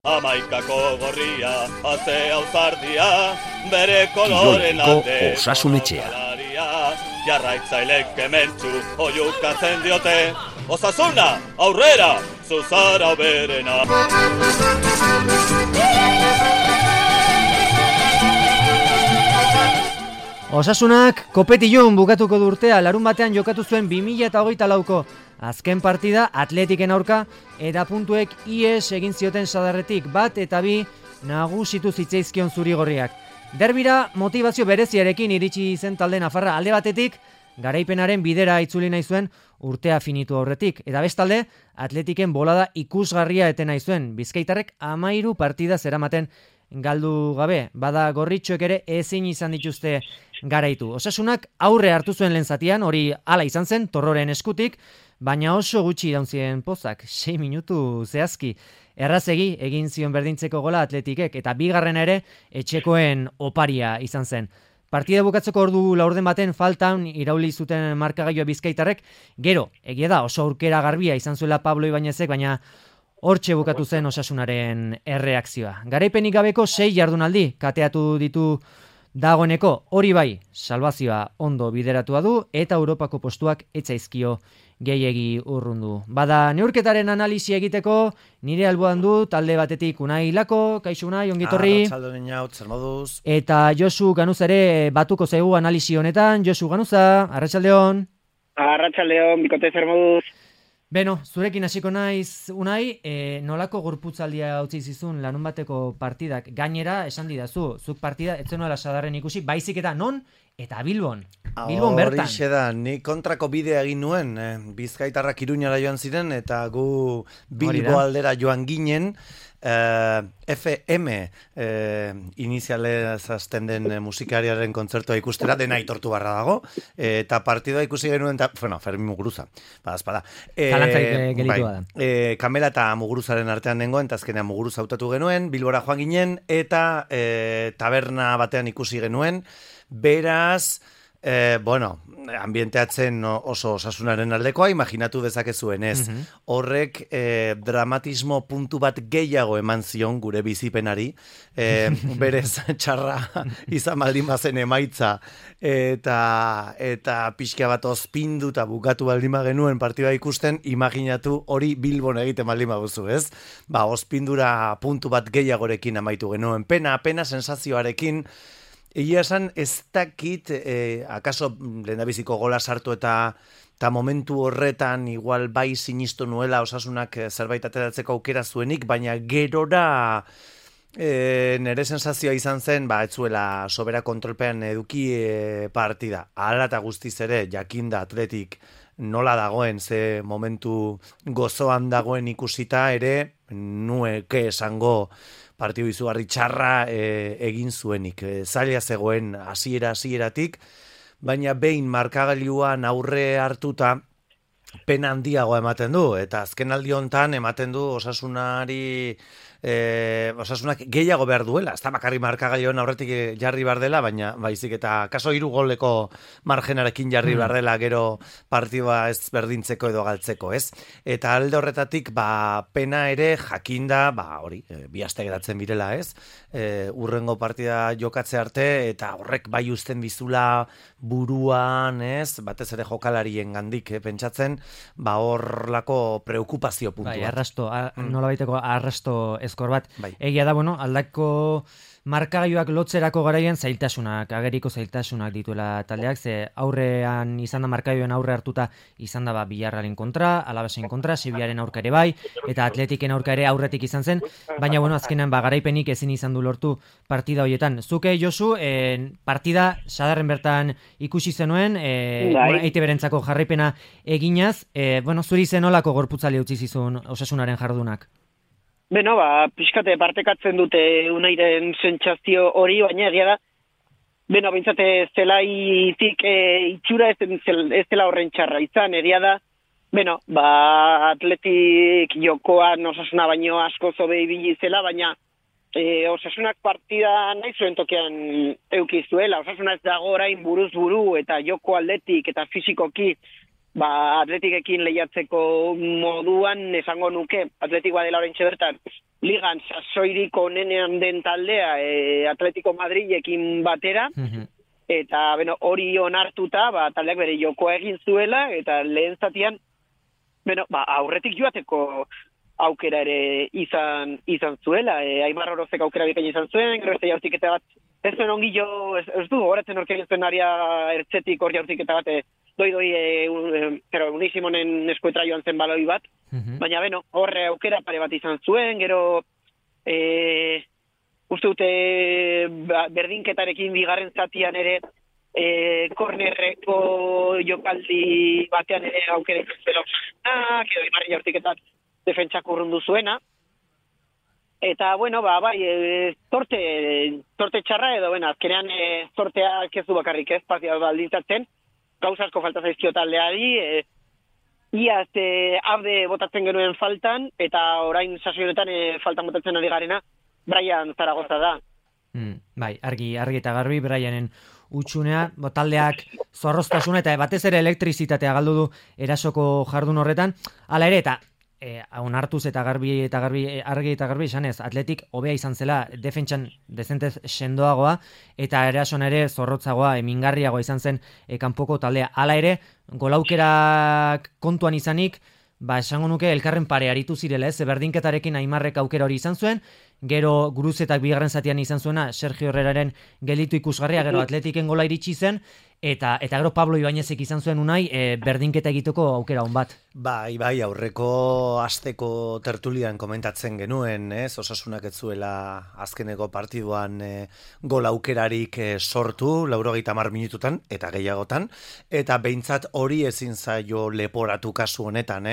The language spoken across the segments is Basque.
Amaikako gorria, atzea uzardia, bere koloren alde. Osasunetxea. Jarraitzailek kementsu oiukatzen diote. Osasuna, aurrera, zuzara berena. Osasunak kopetillon bukatuko du urtea, larun batean jokatu zuen 2024ko azken partida Atletiken aurka eta puntuek ies egin zioten sadarretik 1 eta 2 nagusitu zitzaizkion zurigorriak. Derbira motivazio bereziarekin iritsi zen talde nafarra, alde batetik garaipenaren bidera itzuli nahi zuen urtea finitu aurretik, eta bestalde Atletiken bolada ikusgarria eten nahi zuen, Bizkaitarrek 13 partida zeramaten galdu gabe, bada gorritxoek ere ezin izan dituzte garaitu. Osasunak aurre hartu zuen lehen zatian, hori hala izan zen, Torroren eskutik, baina oso gutxi iraunzien pozak, 6 minutu zehazki. Errazegi egin zion berdintzeko gola Atletikek, eta bigarrena ere etxekoen oparia izan zen. Partida bukatzeko ordu laurden baten faltan irauli zuten markagailua Bizkaitarrek, gero, egia da oso aurkera garbia izan zuela Pablo Ibañezek, baina hortxe bukatu zen Osasunaren erreakzioa. Garaipenik gabeko 6 jardunaldi kateatu ditu dagoeneko, hori bai, salbazioa ondo bideratua du eta Europako postuak etzaizkio gehiegi urrundu. Bada neurketaren analisi egiteko, nire alboan du talde batetik Unai Lako, kaixo Unai, ongitorri. Arratsaldeon jaut, zer moduz? Eta Josu Ganuz ere batuko zaigu analisi honetan. Josu Ganuza, arratsaldeon. Arratsaldeon, bikote zer moduz? Beno, zurekin hasiko naiz, Unai, nolako gorputzaldia utzi zizun larun bateko partidak? Gainera, esan didazu, zuk partida ez zenuela sadarren ikusi, baizik eta non eta Bilbon. Bilbon bertan. Horixe da, ni kontrako bidea egin nuen, Bizkaitarrak Iruñara joan ziren, eta gu Bilbo aldera joan ginen, FM inizialez hasten den musikariaren kontzertua ikustera, dena aitortu barra dago, eta partidua ikusi genuen, Fermin Muguruza, badazpada. Zalantzaik gelitu da. Kamela eta Muguruzaren artean nengoen, eta azkenean Muguruza hautatu genuen, Bilbora joan ginen, eta taberna batean ikusi genuen, beraz, ambienteatzen oso Osasunaren aldekoa, imaginatu dezakezuen ez. Horrek dramatismo puntu bat gehiago eman zion gure bizipenari, berez txarra izan baldin bazen emaitza, eta pixka bat ozpindu eta bukatu baldin genuen partida ikusten, imaginatu hori Bilbon egiten baldin baduzu, ez? Ozpindura puntu bat gehiagorekin amaitu genuen, pena sensazioarekin. Egia esan, ez dakit, akaso lehendabiziko gola sartu eta momentu horretan igual bai sinistu nuela Osasunak zerbait ateratzeko aukera zuenik, baina gerora nire sensazioa izan zen, ez zuela sobera kontrolpean eduki partida. Hala eta guztiz ere, jakinda Atletik nola dagoen, ze momentu gozoan dagoen ikusita ere, nueke esango partidu izugarri txarra egin zuenik. Zaila zegoen hasieratik, baina behin markagailuan aurre hartuta pena handiagoa ematen du, eta azken aldi hontan ematen du Osasunak gehiago behar duela, ez da bakarri markagailuan aurretik jarri behar dela, baina baizik eta kaso 3 goleko margenarekin jarri behar dela gero partidua ez berdintzeko edo galtzeko, ez? Eta alde horretatik, pena ere jakinda, hori, bi aste geratzen birela, ez? Urrengo partida jokatze arte, eta horrek bai uzten bizula buruan, ez? Batez ere jokalarien gandik, pentsatzen, horlako preokupazio puntua. Bai, arrasto, nola baiteko arrasto eskor bat. Bai. Egia da, aldako markagailuak lotzerako garaian ageriko zailtasunak dituela taldeak, ze aurrean izan da markagailuen aurre hartuta izan da Villarrealen kontra, Alavesen kontra, Sevillaren aurka ere bai, eta Atletiken aurka ere aurretik izan zen, baina azkenean garaipenik ezin izan du lortu partida horietan. Zuke, Josu, partida sadarren bertan ikusi zenuen, EITB-rentzako jarraipena eginaz, zuri zenolako gorputzaldia utzi zizun Osasunaren jardunak? Beno, pixkate partekatzen dute Unairen sentsazio hori, baina egia da, bintzate zelaitik itxura ez dela horren txarra izan, egia da, Atletik jokoan Osasuna baino asko zobe ibili zela, baina Osasunak partida nahi zuen tokean eukizuela, Osasuna ez dago orain buruz buru eta joko aldetik eta fizikoki, Atletikekin lehiatzeko moduan esango nuke, Atletik badela oraintxe bertan ligan sasoirik onenean den taldea Atletico Madrilekin batera, eta hori onartuta, taldeak bere jokoa egin zuela, eta lehen zatian, aurretik joateko aukera ere izan zuela, Aimar Orozek aukera bikain izan zuen, gero ez jaurtiketa bat, ez zuen ongi jo, ez du, horatzen orkein zuen aria ertzetik hor jaurtiketa bat, Unisimonen eskuetra joan zen baloi bat, baina horre aukera pare bat izan zuen, gero uste dute berdinketarekin bigarren zatian ere kornerreko jokaldi batean ere aukera izan zela edo Imarri jaurtiketak defentsak urrundu zuena. Eta, torte txarra edo, azkenean torteak ez du bakarrik ez, partida baldintzatzen, gauza asko falta zaizkio taldeari, iaz abde botatzen genuen faltan, eta orain sasoionetan faltan botatzen ari garena, Brian Zaragoza da. Bai, argi eta garbi, Brianen utxunea, taldeak zorroztasuna eta batez ere elektrizitatea galdu du erasoko jardun horretan, hala ere, eta onartuz eta argi eta garbi esanez, Atletik hobea izan zela defentsan dezentez sendoagoa eta erason ere zorrotzagoa, mingarriagoa izan zen kanpoko taldea. Hala ere, golaukerak kontuan izanik, esango nuke elkarren pare aritu zirela, berdinketarekin Aimarrek aukera hori izan zuen, gero Guruzetak bigarren zatian izan zuena Sergio Herreraren gelitu ikusgarria, gero Atletiken gola iritsi zen, eta gero Pablo Ibañezek izan zuen unai berdinketa egiteko aukera on bat. Bai, aurreko asteko tertulian komentatzen genuen, Osasunak ez zuela azkeneko partiduan gol aukerarik sortu, 90 minututan, eta gehiagotan, eta behintzat hori ezin zaio leporatu kasu honetan,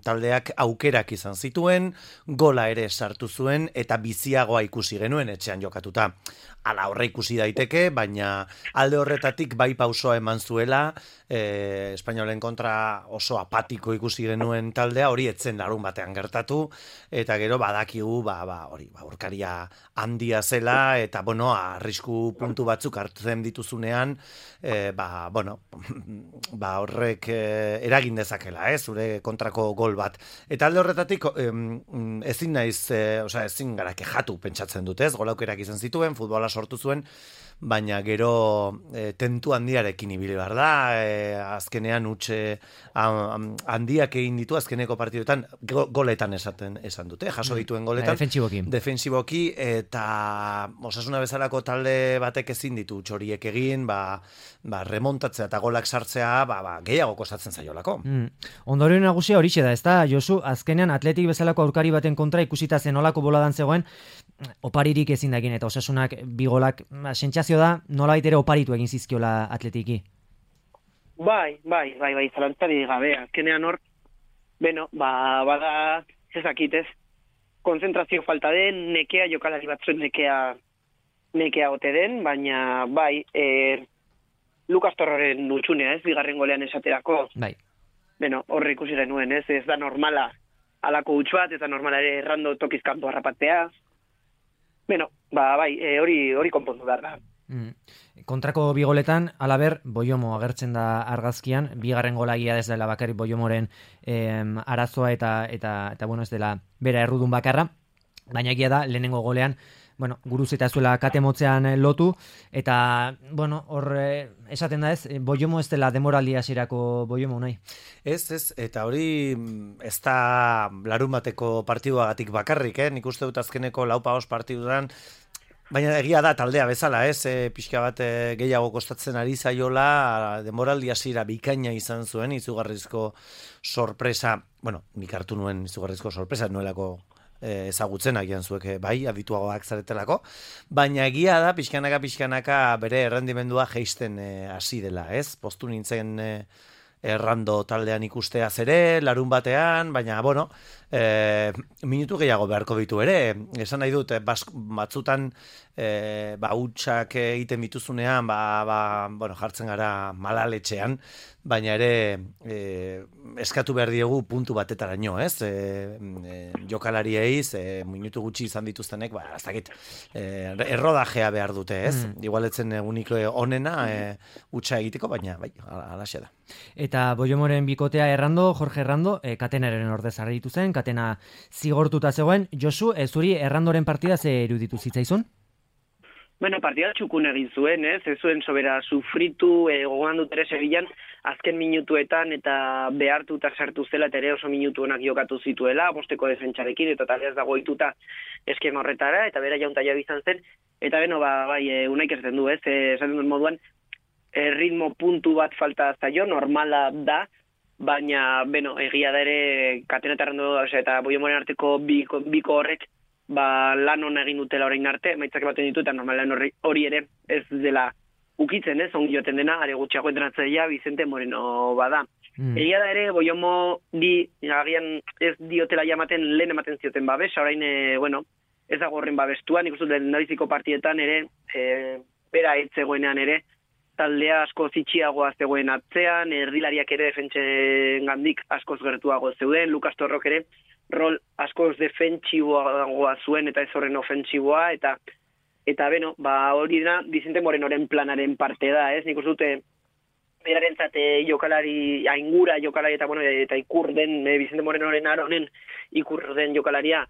taldeak aukerak izan zituen, gola ere sartu zuen, eta biziagoa ikusi genuen etxean jokatuta. Hala horre ikusi daiteke, baina alde horretatik bai pausoa eman zuela, Espainolen kontra oso apatiko ikusi genuen taldea, hori etzen larun batean gertatu, eta gero badakigu, hori, aurkaria handia zela, eta, arrisku puntu batzuk hartzen dituzunean, horrek eragin dezakela, zure kontrako gol bat. Eta alde horretatik, ezin gara kejatu pentsatzen dut, golaukerak izan zituen, futbola sortu zuen, baina gero tentu handiarekin ibili behar da, azkenean utxe handiak egin ditu azkeneko partiduetan, goletan esan dute, jaso dituen goletan. Defensiboki, eta Osasuna bezalako talde batek ezin ditu txoriek egin, remontatzea eta golak sartzea, gehiago kostatzen zaiolako. Ondorio nagusia horixe da, ezta, Josu, azkenean Atletik bezalako aurkari baten kontra ikusita zenolako boladan zegoen, oparirik ezin dagin, eta Osasunak bigolak sentsazio da, nolabait ere oparitu egin zizkiola Atletiki. Bai, zalantzari gabe, azkenean hor, bada, ezakitez, konzentrazio falta den, nekea jokalari batzuen nekea ote den, baina Lukas Torroren utxunea, bigarren golean esaterako. Bai. Horre ikusi genuen, ez da normala alako utx bat, ez da normala ere errando tokiz kanpo harrapatea. Hori konpondu behar da. Kontrako bigoletan, alaber, Boiomo agertzen da argazkian, bigarren golagia ez dela bakarrik Boiomoren arazoa eta ez dela bera errudun bakarra, baina egia da, lehenengo golean, Guruz eta zuela katemotzean lotu, eta, hor esaten da ez, Boiomo ez dela demoraldi hasierako Boiomo nahi. Ez, eta hori ez da larun bateko partiduagatik bakarrik, nik uste dut azkeneko 4-5 partidudan, baina egia da taldea bezala, pixka bat gehiago kostatzen ari zaiola, demoraldi hasiera bikaina izan zuen, izugarrizko sorpresa, nik hartu nuen izugarrizko sorpresa, nuelako ezagutzen agian zuek adituagoak zaretelako, baina egia da pixkanaka bere errendimendua jeisten hasi dela, postu nintzen errando taldean ikusteaz ere, larun batean, baina, minutu gehiago beharko ditu ere, esan nahi dut, batzutan hutsak egiten bituzunean, jartzen gara malaletxean, baina ere eskatu behar diegu puntu batetaraino, ez? Jokalariei, minutu gutxi izan dituztenek, ez dakit, errodajea behar dute, ez? Igualetzen egunik onena utxa egiteko, baina bai, alaxe da. Eta Boiomoren bikotea Jorge Errando, Katenaren ordez argitu zen, Katena zigortuta zegoen. Josu, zuri Errandoren partida ze iruditu zitzaizun? Bueno, partida txukun egin zuen, ez zuen sobera sufritu, gogoan dut ere Sevillan, azken minutuetan eta behartuta sartu zela eta ere oso minutu onak jokatu zituela, bosteko defentsarekin, eta taldeaz dago ituta eskema horretara, eta bera jaunta jau izan zen, eta beno, bai, unaik erzen du, ez, esaten duen moduan, ritmo puntu bat falta zaio, normala da, baina, beno, egia da ere, Katena eta Errando, eta Boiomoren arteko biko horrek, lan hona egin dutela orain arte, maitzak ematen ditu, eta normalan hori ere ez dela ukitzen, ongi joten dena, are gutxiago entrenatzailea Vicente Moreno bada. Egia da ere, Boiomo agian ez diotela jamaten lehen ematen zioten babes, orain, ez dago horren babestua, nik uste lehendabiziko partietan ere, bera etzegoenean ere, taldea asko zitxiagoa zegoen atzean, erdilariak ere defentsen gandik askoz gertuago zeuden, Lukas Torrok ere, rol askoz defentsiboa zuen eta ez horren ofentsiboa, eta beno, hori da, Vicente Morenoren planaren parte da, ez? Nik uste dute, berarentzate jokalari, aingura jokalari eta ikur den, Vicente Morenoren aronen ikur den jokalaria,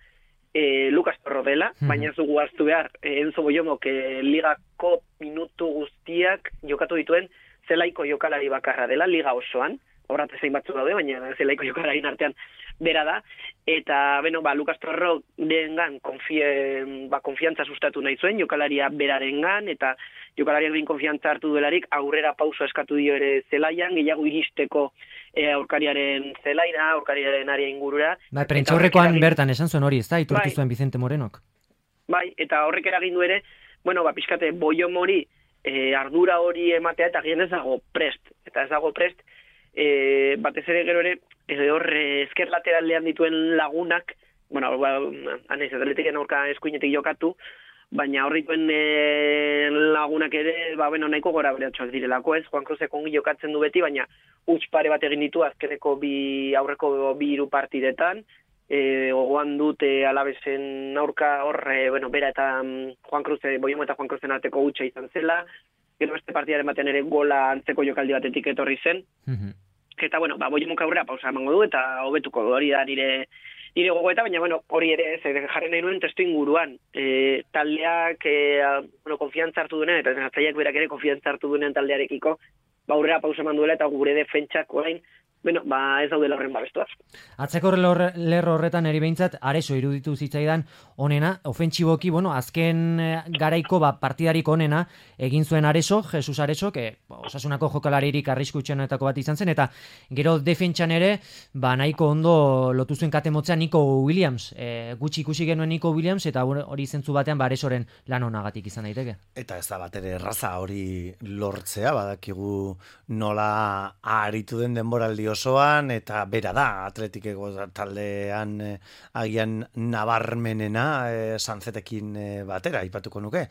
Lukas Torro dela, baina zugu hartu behar, Enzo Boiomok ligako minutu guztiak jokatu dituen zelaiko jokalari bakarra dela, liga osoan, horrat zein batzu daude, baina zelaiko jokalari artean bera da, eta, beno, Lukas Torro dengan konfiantza sustatu nahi zuen, jokalaria berarengan, eta jokalariak bin konfiantza hartu duelarik, aurrera pauso eskatu dio ere zelaian, gehiago iristeko aurkariaren zelaira, aurkariaren aria ingurura. Bai, prentxaurrekoan bertan esan zuen hori, ez da, iturtu zuen Vicente Morenok. Bai, eta horrek eragin du ere, pixkate Boiomori ardura hori ematea, eta gian ez dago prest, batez ere gero ere, hor esker lateralean dituen lagunak, anaiz, atletiken aurka eskuinetik jokatu, baina horrituen lagunak ere, nahiko gora beratxoak direlako, ez? Juan Cruzek ongi jokatzen du beti, baina huts pare bat egin ditu azkeneko aurreko bi hiru partidetan, gogoan dute Alavesen aurka bera eta Juan Cruz, Boiomo eta Juan Cruzen arteko hutsa izan zela, gero beste partidaren batean ere gola antzeko jokaldi batetik etorri zen, eta Boiomok aurrera pausa emango du, eta hobetuko du, hori da nire gogoeta, baina hori ere jarri nahi nuen testu inguruan. Taldeak konfiantza hartu duenean, eta zenazaiak berak ere konfiantza hartu duenean taldearekiko, aurrera pausa eman duela, eta gure defentsak orain, ez daudela horren babestuaz. Atzeko lerro horretan eri behintzat, Areso iruditu zitzaidan onena, ofentsiboki, azken garaiko partidarik onena egin zuen Areso, Jesus Areso, Osasunako jokalaririk arriskutxenetako bat izan zen, eta gero defentsan ere, nahiko ondo lotu zuen katemotzean Nico Williams, gutxi ikusi genuen Nico Williams, eta hori zentzu batean Aresoren lan onagatik izan daiteke. Eta ez da bat ere erraza hori lortzea, badakigu nola aritu den denboraldi osoan, eta bera da, Atletikeko taldean agian nabarmenena Sanzetekin batera, aipatuko nuke.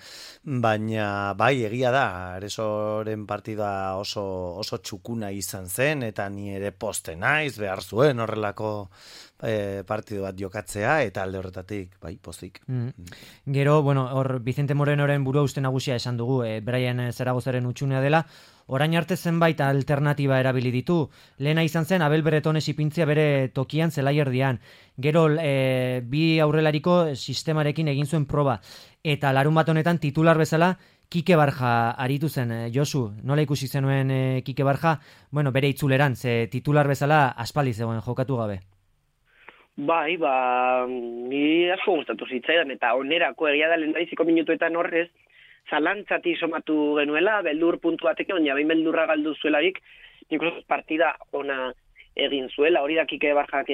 Baina bai, egia da, Aresoren partida oso txukuna izan zen, eta ni ere poste naiz, behar zuen horrelako partidu bat jokatzea, eta alde horretatik, bai, pozik. Gero, hor Vicente Morenoren burua uste nagusia esan dugu, Brian Zaragozaren utxunea dela, orain arte zenbait alternatiba erabili ditu. Lehena izan zen Abel Bretones ipintzia bere tokian zelaierdian. Gero bi aurrelariko sistemarekin egin zuen proba. Eta larun bat honetan titular bezala Kike Barja aritu zen. Josu, nola ikusi zenuen Kike Barja? Bere itzuleran, ze titular bezala aspaldi zegoen jokatu gabe. Bai, ni asko gustatu zitzaidan, eta onerako egia da lehendabiziko minutuetan horrez, zalantzati somatu genuela, beldur puntu batek, baina behin beldurra galdu zuelarik, nik uste partida ona egin zuela, hori da Kike Barjak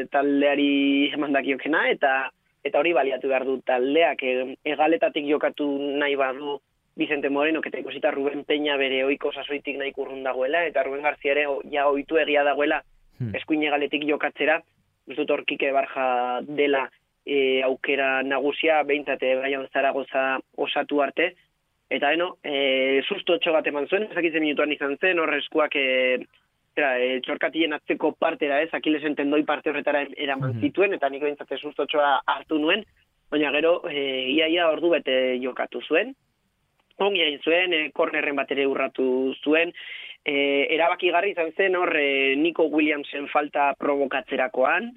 taldeari emandakiokena, eta hori baliatu behar du taldeak, egaletatik jokatu nahi badu Vicente Moreno, eta ikusita Ruben Peña bere oiko sasoitik nahi kurrun dagoela, eta Ruben García ere ja oitu egia dagoela eskuin egaletik jokatzera, uste dut hor Kike Barja dela aukera nagusia, behintzate Brian Zaragoza osatu arte, Eta sustotxo bat eman zuen, ezakitzen minutuan izan zen, hor eskuak txorkatien atzeko partera Akilesen tendoi parte horretara eraman zituen, eta nik behintzate sustotxoa hartu nuen, baina gero iaia ordu bete jokatu zuen. Ongi egin zuen, kornerren bat ere urratu zuen, erabakigarri izan zen hor Nico Williamsen falta provokatzerakoan,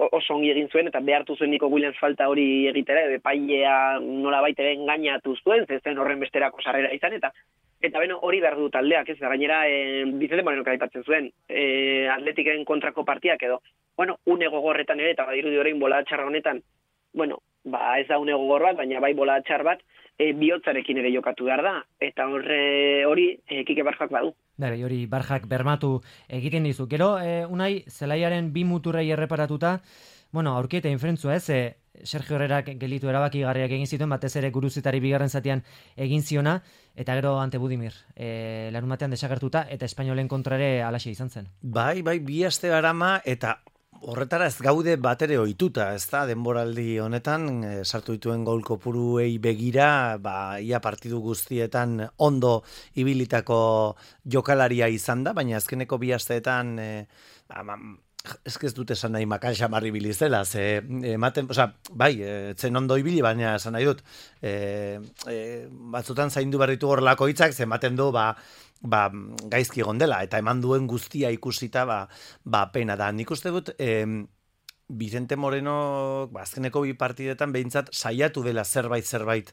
oso ongi egin zuen, eta behartu zuen Nico Williams falta hori egitera, epailea nolabait ere engainatu zuen, zen horren besterako sarrera izan, eta hori behar du taldeak, ez da gainera Vicente Moreno aipatzen zuen, Atletiken kontrako partiak edo, une gogorretan ere, eta badirudi orain bola txarra honetan, ez da une gogor bat, baina bai bola txar bat, bihotzarekin ere jokatu behar da, eta hori Kike Barjak badu. Hori Barjak bermatu egiten dizu. Gero, Unai, zelaiaren bi muturrei erreparatuta, aurkieta infrentzua Sergio Herrerak gelitu erabakigarriak egin zituen, batez ere Guruzitari bigarren zatian egin ziona, eta gero ante Budimir, larunbatean desagertuta, eta Espainolen kontrare alaxe izan zen. Bai, bi aste garama, eta horretara ez gaude batere ohituta, ez da, denboraldi honetan, sartu dituen gol kopuruei begira, ia partidu guztietan ondo ibilitako jokalaria izan da, baina azkeneko bi asteetan, ez dut esan nahi makal xamarri bilizela, zen ondo ibili, baina esan nahi dut, batzutan zaindu berritu horrelako hitzak, ematen du, gaizki gondela, eta eman duen guztia ikusita, pena da. Nik uste dut, Vicente Moreno, azkeneko bi partidetan behintzat saiatu dela zerbait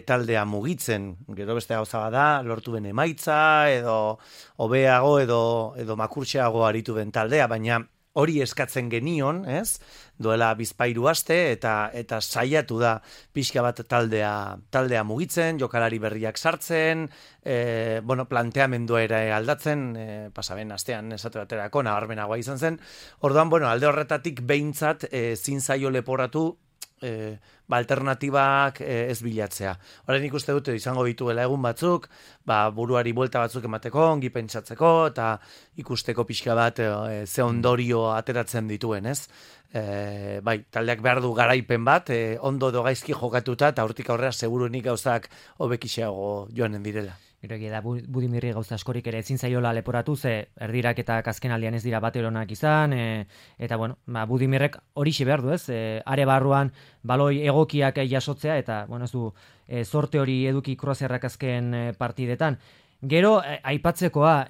taldea mugitzen. Gero beste gauza bada, lortu ben emaitza, edo hobeago, edo makurtxeago aritu ben taldea, baina hori eskatzen genion, ez? Duela bizpairu aste, eta saiatu da pixka bat taldea mugitzen, jokalari berriak sartzen, planteamendua ere aldatzen, pasaben astean esate baterako nabarmenagoa izan zen. Orduan, alde horretatik behintzat zin zaio leporatu alternatibak ez bilatzea. Horren ikuste dute izango dituela egun batzuk, buruari buelta batzuk emateko, ongi pentsatzeko, eta ikusteko pixka bat ze ondorio ateratzen dituen, ez? Taldeak behar du garaipen bat, ondo edo gaizki jokatuta, eta hortik aurrera segurunik gauzak hobekixeago joanen direla. Gero da Budimirri gauza askorik ere ezin zaiola leporatu, ze erdirak eta azkenaldian ez dira bateronak izan, eta Budimirrek horixe behar du, ez? Are barruan baloi egokiak jasotzea, eta ez du sorte hori eduki Kroazierrak azken partidetan. Gero, aipatzekoa,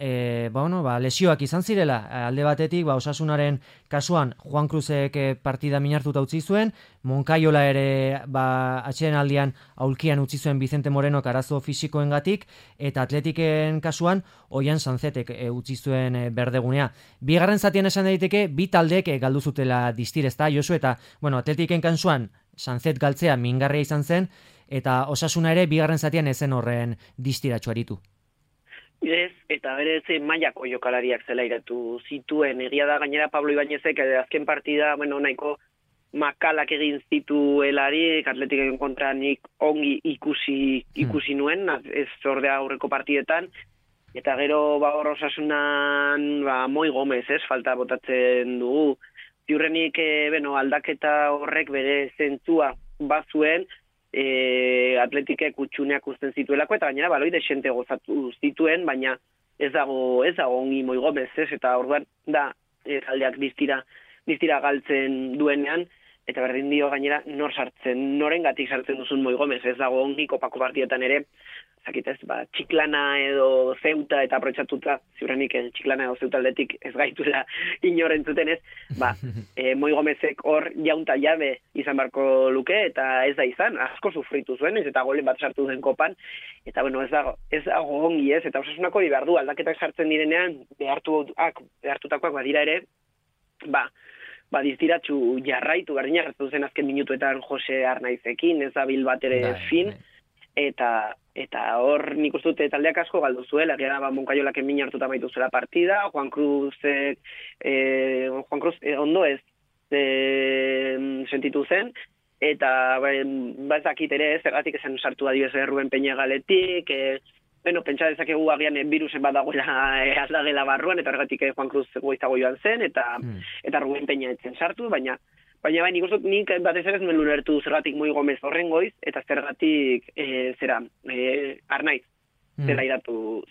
lesioak izan zirela, alde batetik, Osasunaren kasuan Juan Cruzek partida minartuta utzi zuen, Moncayola ere atxeden aldian aulkian utzi zuen Vicente Morenok arazo fisikoengatik, eta Atletiken kasuan Oian Sanzetek utzi zuen berdegunea. Bigarren zatien esan daiteke, bi taldek galdu zutela distirezta, Josu, eta Atletiken kasuan Sanzet galtzea mingarria izan zen, eta Osasuna ere bigarren zatian ezen horren distiratxo aritu. Ez, eta berez mailako jokalariak zelairatu zituen. Egia da gainera Pablo Ibañezek azken partida, nahiko makalak egin zituelarik, Atletiken kontra nik ongi ikusi nuen, ez ordea aurreko partidetan, eta gero hor Osasunan Moi Gomez, falta botatzen dugu. Ziurrenik, aldaketa horrek bere zentzua bazuen, Atletikek utxuneak uzten zituelako, eta gainera baloi desente gozatu zituen, baina ez dago ongi Moi Gomez, eta orduan da taldeak distira galtzen duenean, eta berdin dio gainera norengatik sartzen duzun Moi Gomez, ez dago ongi kopako partietan ere, zakitez, Txiklana edo Zeuta eta aprotxatuta, ziurrenik Txiklana edo Zeuta aldetik ez gaituela inoren zuten ez, Moi Gomezek hor jaunta jabe izan barko luke, eta ez da izan, asko sufritu zuen, ez eta golen bat sartu den kopan, eta ez dago ongi ez, eta Osasunako hori behar du, aldaketak sartzen direnean, behartutakoak badira ere, diztiratxu jarraitu, berdina gertatu zen azken minutuetan Jose Arnaizekin, ez da bil bat ere fin, eta hor nik uste dute taldeak asko galdu zuela, gara Moncayolak min hartuta maitu zela partida, Juan Cruz ondo ez sentitu zen, eta ezakit ere zergatik esan sartu adibez Ruben Peña galetik, pentsa dezakegu agian virusen bat dagoela aldagela barruan, eta horregatik Juan Cruz goizago joan zen, eta Ruben Peña etzen sartu, baina Baina bai, nik uste nik batez ere ez nuen ulertu zergatik Moi Gomez horren goiz, eta zergatik Arnaiz. Zela iratu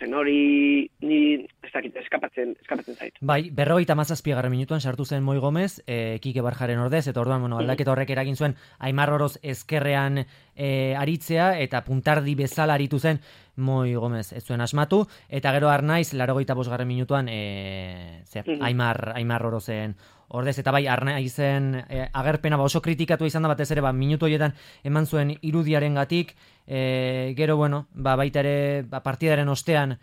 zen, hori ni ez dakit, eskapatzen zait. Bai, 57. minutuan sartu zen Moi Gomez, Kike Barjaren ordez, eta orduan, aldaketa horrek eragin zuen Aimar Oroz ezkerrean aritzea, eta puntardi bezala aritu zen Moi Gomez ez zuen asmatu, eta gero Arnaiz, 85. minutuan Aimar Orozen ordez, eta bai, Arnaizen agerpena oso kritikatu izan da, batez ere, minutu horietan eman zuen irudiaren gatik, gero, baita ere, partidaren ostean,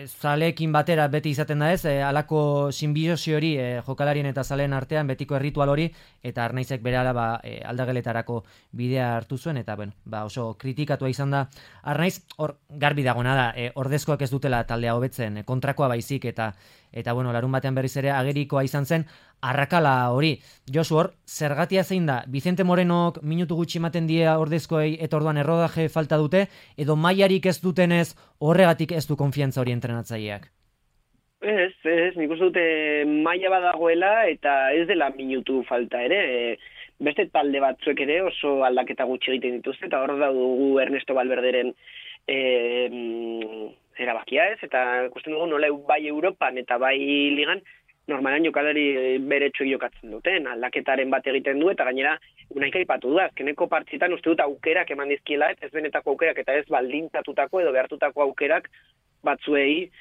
zaleekin batera beti izaten da ez, alako sinbiosi hori jokalarien eta zaleen artean, betiko erritual hori, eta Arnaizek berehala aldageletarako bidea hartu zuen, eta oso kritikatua izan da Arnaiz, hor garbi dagoena da, ordezkoak ez dutela taldea hobetzen, kontrakoa baizik, eta larun batean berriz ere agerikoa izan zen arrakala hori. Josu, hor, zergatia zein da, Vicente Morenok minutu gutxi ematen die ordezkoei eta orduan errodaje falta dute, edo mailarik ez dutenez horregatik ez du konfiantza hori entrenatzaileak? Ez, nik uste dute maila badagoela eta ez dela minutu falta ere, beste talde batzuek ere oso aldaketa gutxi egiten dituzte, eta hor dugu Ernesto Valverderen erabakia ez, eta ikusten dugu nola bai Europan eta bai Ligan, normalan jokalari beretsuek jokatzen duten, aldaketaren bat egiten du, eta gainera unaik aipatu du, azkeneko partitan uste dut aukerak eman dizkiela, ez benetako aukerak eta ez baldintzatutako edo behartutako aukerak batzuei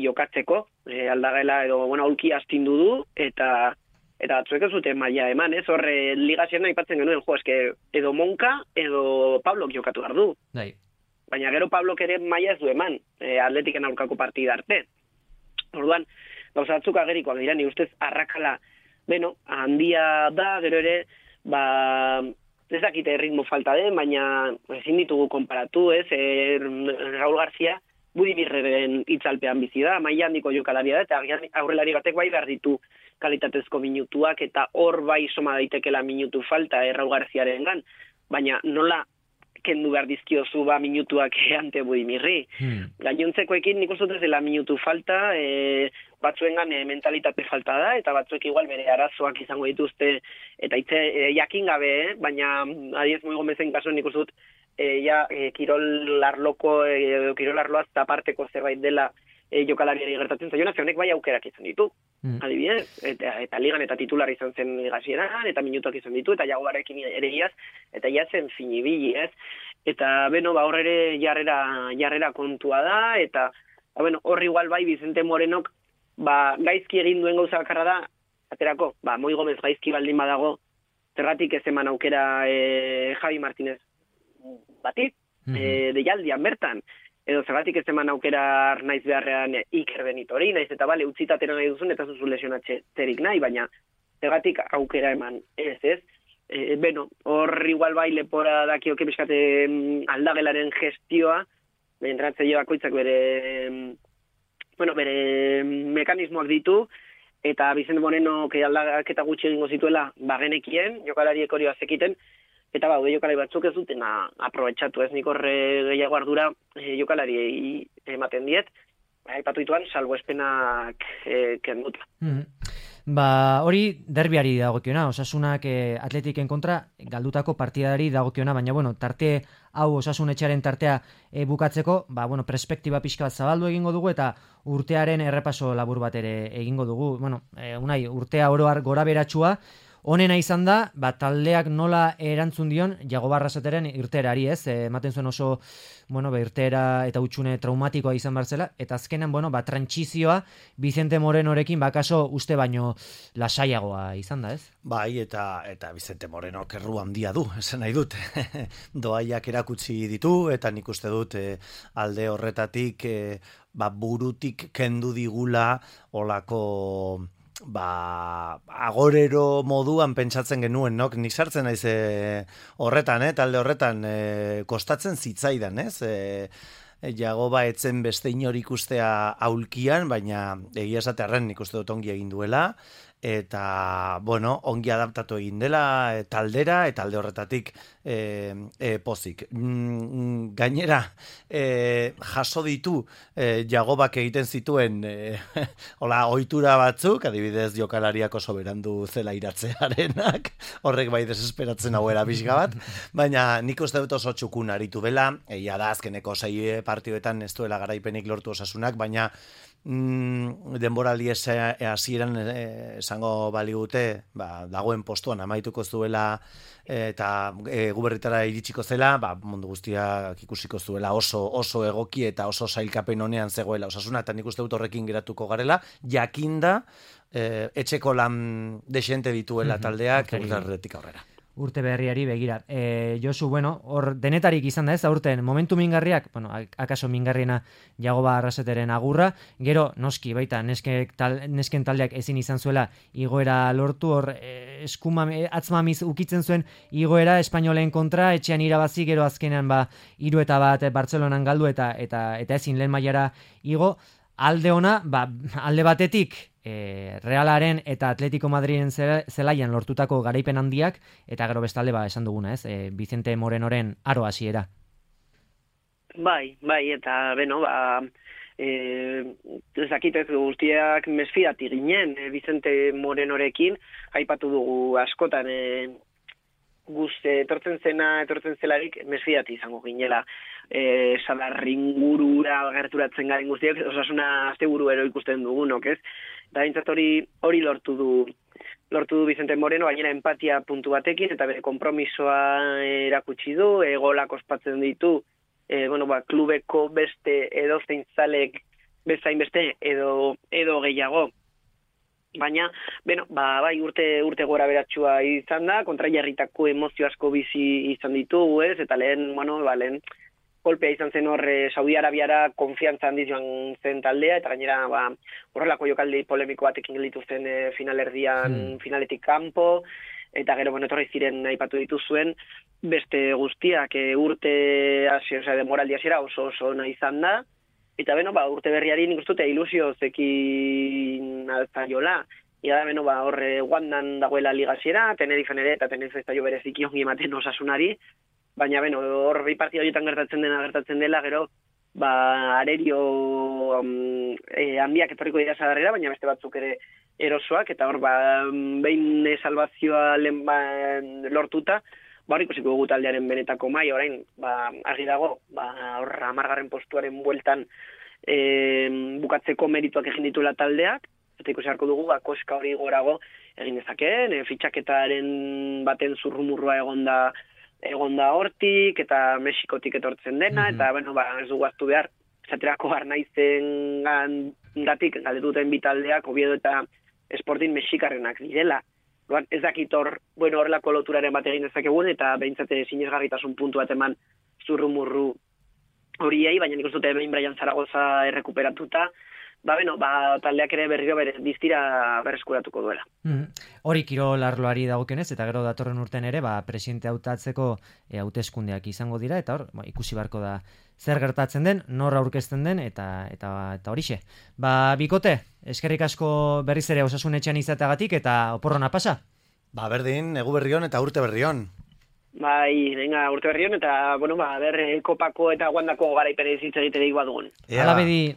jokatzeko, aldagela edo aulki astindu du, eta batzuek ez dute maila eman, ez? Horre ligazien aipatzen genuen, edo Monka edo Pablok jokatu behar du. Baina gero Pablok ere maila ez du eman, Atletiken aurkako partida arte. Orduan, gauza batzuk agerikoak dira, ni ustez arrakala, handia da, gero ere, ez dakite ritmo falta den, baina ezin ditugu konparatu, ez? Raúl García Budimirren itzalpean bizi da, maila handiko jokalaria da, eta aurrelari batek bai behar ditu kalitatezko minutuak, eta hor bai soma daitekela minutu falta Raúl Garciarengan, baina nola kendu behar dizkiozu minutuak ante Budimirri. Gainontzekoekin nik uste dut dela minutu falta, batzuengan mentalitate falta da, eta batzuek igual bere arazoak izango dituzte, eta jakin gabe, baina adiez Moi Gomezen kasuan nik uste dut kirol arloaz aparteko zerbait dela jokalariari gertatzen zaiona, honek bai aukerak izan ditu. Adibidez, eta ligan eta titular izan zen ligazieran, eta minutuak izan ditu, eta jagoarekin ere iaz, eta jazen finibili, ez? Eta, hor ere jarrera kontua da, eta, hor igual bai Vicente Morenok, gaizki egin duen gauza bakarra da, aterako, Moi Gomez gaizki baldin badago, zergatik ez eman aukera Javi Martínez bati, deialdian bertan, edo zergatik ez eman aukera Arnaiz beharrean Iker Benitori, naiz eta utzitatera nahi duzun, eta zuzu lesionatzerik nahi, baina zergatik aukera eman ez. Hor igual bai lepora dakioke pixkate aldagelaren gestioa, entrenatzaile bakoitzak bere mekanismoak ditu, eta Vicente Moreno aldaketa gutxi egingo zituela bagenekien, jokalariek hori bazekiten, eta jokalari batzuk ez dutena aprobetxatu, ez nik horre gehiago ardura jokalariei ematen diet, aipatu dituan salbuespenak kenduta. Hori derbiari dagokiona, Osasunak Atletiken kontra galdutako partidari dagokiona, baina tarte hau Osasun etxearen tartea bukatzeko, perspektiba pixka bat zabaldu egingo dugu eta urtearen errepaso labur bat ere egingo dugu. Unai, urtea oro har gora beratsua, honena izan da, taldeak nola erantzun dion Jago Barrasateren irteerari, ez? Ematen zuen oso, irteera eta hutsune traumatikoa izan barzela, eta azkenan, trantsizioa Vicente Morenorekin bakaso uste baino lasaiagoa izan da, ez? Bai, eta Vicente Moreno kerru handia du, esan nahi dut. Doaiak erakutsi ditu, eta nik uste dut alde horretatik burutik kendu digula olako agorero moduan pentsatzen genuen, no? Nik sartzen naiz horretan, talde horretan kostatzen zitzaidan, ez? Jagoba etzen beste inor ikustea aulkian, baina egia esatearren nik uste dut ongi egin duela, eta, bueno, ongi adaptatu egin dela taldera, eta alde horretatik pozik. Gainera, jaso ditu Jagobak egiten zituen ohitura batzuk, adibidez jokalariak oso berandu zela iratzearenak, horrek bai desesperatzen hauera pixka bat, baina nik uste dut oso txukun aritu dela, egia da azkeneko 6 partidoetan ez duela garaipenik lortu Osasunak, baina denboraldi hasieran esango baligute, dagoen postuan amaituko zuela eta guberritara iritsiko zela, mundu guztiak ikusiko zuela oso egoki eta oso sailkapen honean zegoela Osasuna, eta nik uste dut horrekin geratuko garela, jakinda etxeko lan desente dituela taldeak urtarretik aurrera. Urte berriari begira. Josu, bueno, hor denetarik izan da ez, aurten momentu mingarriak, bueno, akaso mingarriena Jagoba Arraseteren agurra, gero noski baita nesken taldeak ezin izan zuela igoera lortu, hor atzmamiz ukitzen zuen igoera Espainolen kontra, etxean irabazi, gero azkenean 3-1 Bartzelonan galdu eta ezin lehen mailara igo. Alde ona, alde batetik Realaren eta Atletico Madriden zelaian lortutako garaipen handiak, eta gero bestalde esan duguna, ez? Vicente Morenoren aro hasiera. Bai, eta beno, ezakitez guztiak mesfidati ginen Vicente Morenorekin, aipatu dugu askotan etortzen zelarik mesfidati izango ginela. Sadarringurura gerturatzen garen guztiak, Osasuna asteburuero ikusten dugunok, ez? Da bintzat hori lortu du Vicente Moreno, gainera empatia puntu batekin, eta bere konpromisoa erakutsi du, golak ospatzen ditu, klubeko beste edozein zalek bezain beste edo gehiago. Baina, bai urte gora beratxua izan da, kontrajarritako emozio asko bizi izan ditugu, ez? Eta lehen kolpea izan zen hor Saudi Arabiara konfiantza handiz joan zen taldea, eta gainera horrelako jokaldi polemiko batekin gelditu zen finalerdian finaletik kanpo, eta gero etorri ziren aipatu dituzuen beste guztiak urte demoraldi hasiera oso ona izan da, eta urte berriari nik uste dut ilusio zekin alzaiola. Ia da, horre guandan dagoela ligasiera, Tenerifen ere, eta Tenerife ez da jo bereziki ongi ematen Osasunari, baina hor bi partida horietan gertatzen dela, gero arerio handiak etorriko dira Sadarrera, baina beste batzuk ere erosoak, eta hor behin salvazioa lortuta, hor ikusiko dugu taldearen benetako mai, orain argi dago, hor 10. postuaren bueltan bukatzeko merituak egin dituela taldeak, eta ikusi harko dugu koska hori gorago egin dezakeen, fitxaketaren baten zurrumurrua egon da hortik, eta Mexikotik etortzen dena, eta ez dugu aztu behar, esaterako Arnaizen gatik galdetuten bitaldeak, Oviedo eta Sporting mexikarrenak direla. Ez dakit horrelako loturaren bat egin dezakegun, eta behintzate sinesgarritasun puntu bat eman zurrumurru horiei, baina nik uste dute behin Brian Zaragoza errekuperatuta, taldeak ere berriro diztira berreskuratuko duela. Hori kirol arloari dagokionez, eta gero datorren urten ere, presidente hautatzeko hauteskundeak izango dira, eta hor, ikusi beharko da zer gertatzen den, nor aurkezten den, eta horixe. Bikote, eskerrik asko berriz ere Osasun etxean izateagatik, eta oporrona pasa? Berdin, egu berrion eta urte berrion. Urte berrion, eta, kopako eta guandako garaipere zitza egiterik badugun. Hala bedi.